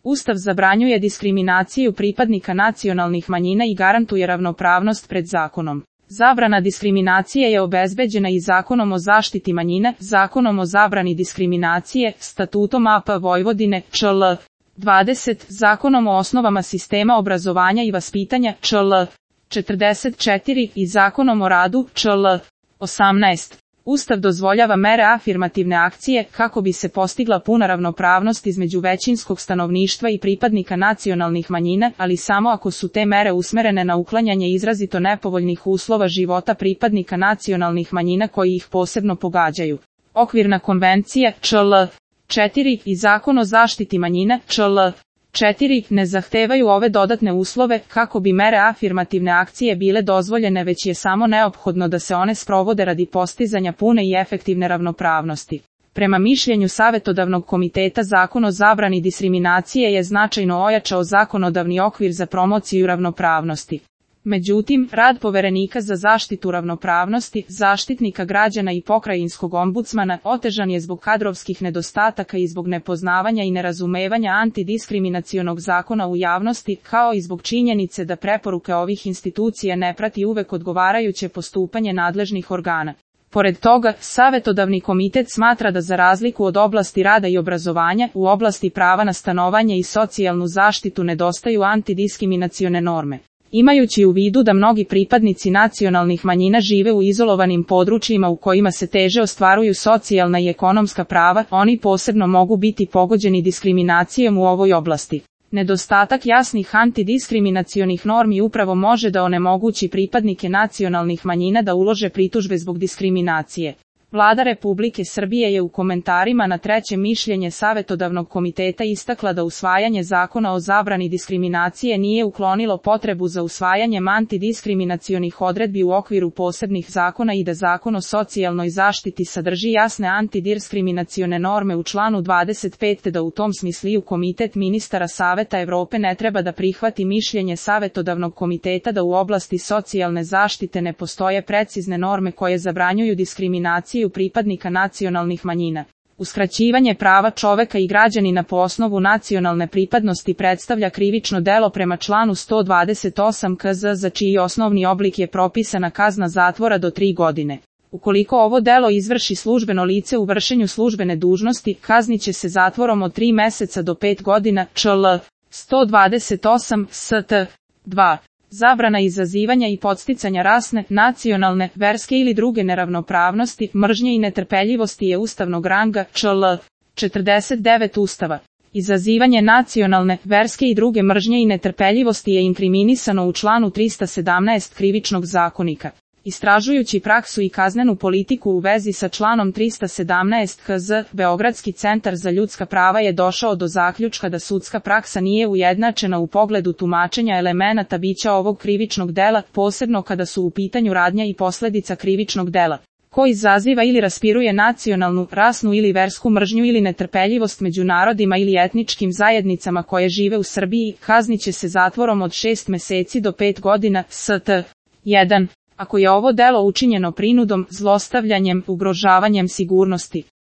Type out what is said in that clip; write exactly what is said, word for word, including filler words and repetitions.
Ustav zabranjuje diskriminaciju pripadnika nacionalnih manjina i garantuje ravnopravnost pred zakonom. Zabrana diskriminacije je obezbeđena i Zakonom o zaštiti manjina, Zakonom o zabrani diskriminacije, Statutom A P Vojvodine, Č L. dvadeset, Zakonom o osnovama sistema obrazovanja i vaspitanja, Č L. četrdeset četiri i Zakonom o radu, Č L. osamnaest. Ustav dozvoljava mere afirmativne akcije kako bi se postigla puna ravnopravnost između većinskog stanovništva i pripadnika nacionalnih manjina, ali samo ako su te mere usmerene na uklanjanje izrazito nepovoljnih uslova života pripadnika nacionalnih manjina koji ih posebno pogađaju. Okvirna konvencija, Č L. četiri i Zakon o zaštiti manjina, Č L. četiri ne zahtevaju ove dodatne uslove kako bi mere afirmativne akcije bile dozvoljene, već je samo neophodno da se one sprovode radi postizanja pune i efektivne ravnopravnosti. Prema mišljenju Savetodavnog komiteta, Zakon o zabrani diskriminacije je značajno ojačao zakonodavni okvir za promociju ravnopravnosti. Međutim, rad Poverenika za zaštitu ravnopravnosti, Zaštitnika građana i pokrajinskog ombudsmana otežan je zbog kadrovskih nedostataka i zbog nepoznavanja i nerazumevanja antidiskriminacionog zakona u javnosti, kao i zbog činjenice da preporuke ovih institucija ne prati uvek odgovarajuće postupanje nadležnih organa. Pored toga, Savetodavni komitet smatra da za razliku od oblasti rada i obrazovanja, u oblasti prava na stanovanje i socijalnu zaštitu nedostaju antidiskriminacione norme. Imajući u vidu da mnogi pripadnici nacionalnih manjina žive u izolovanim područjima u kojima se teže ostvaruju socijalna i ekonomska prava, oni posebno mogu biti pogođeni diskriminacijom u ovoj oblasti. Nedostatak jasnih antidiskriminacionih normi upravo može da onemogući pripadnike nacionalnih manjina da ulože pritužbe zbog diskriminacije. Vlada Republike Srbije je u komentarima na treće mišljenje Savetodavnog komiteta istakla da usvajanje Zakona o zabrani diskriminacije nije uklonilo potrebu za usvajanjem antidiskriminacionih odredbi u okviru posebnih zakona i da Zakon o socijalnoj zaštiti sadrži jasne antidiskriminacione norme u članu dvadeset pet, te da u tom smislu Komitet ministara Saveta Evrope ne treba da prihvati mišljenje Savetodavnog komiteta da u oblasti socijalne zaštite ne postoje precizne norme koje zabranjuju diskriminaciju pripadnika nacionalnih manjina. Uskraćivanje prava čoveka i građanina po osnovu nacionalne pripadnosti predstavlja krivično delo prema članu sto dvadeset osam K Z, za čiji osnovni oblik je propisana kazna zatvora do tri godine. Ukoliko ovo delo izvrši službeno lice u vršenju službene dužnosti, kazniće se zatvorom od tri meseca do pet godina. Č L. sto dvadeset osam S T. dva. Zabrana izazivanja i podsticanja rasne, nacionalne, verske ili druge neravnopravnosti, mržnje i netrpeljivosti je ustavnog ranga. Č L. četrdeset devet Ustava. Izazivanje nacionalne, verske i druge mržnje i netrpeljivosti je inkriminisano u članu trista sedamnaest Krivičnog zakonika. Istražujući praksu i kaznenu politiku u vezi sa članom trista sedamnaest K Z, Beogradski centar za ljudska prava je došao do zaključka da sudska praksa nije ujednačena u pogledu tumačenja elemenata bića ovog krivičnog dela, posebno kada su u pitanju radnja i posledica krivičnog dela. Ko izaziva ili raspiruje nacionalnu, rasnu ili versku mržnju ili netrpeljivost među narodima ili etničkim zajednicama koje žive u Srbiji, kazniće se zatvorom od šest meseci do pet godina. S T. jedan. Ako je ovo delo učinjeno prinudom, zlostavljanjem, ugrožavanjem sigurnosti,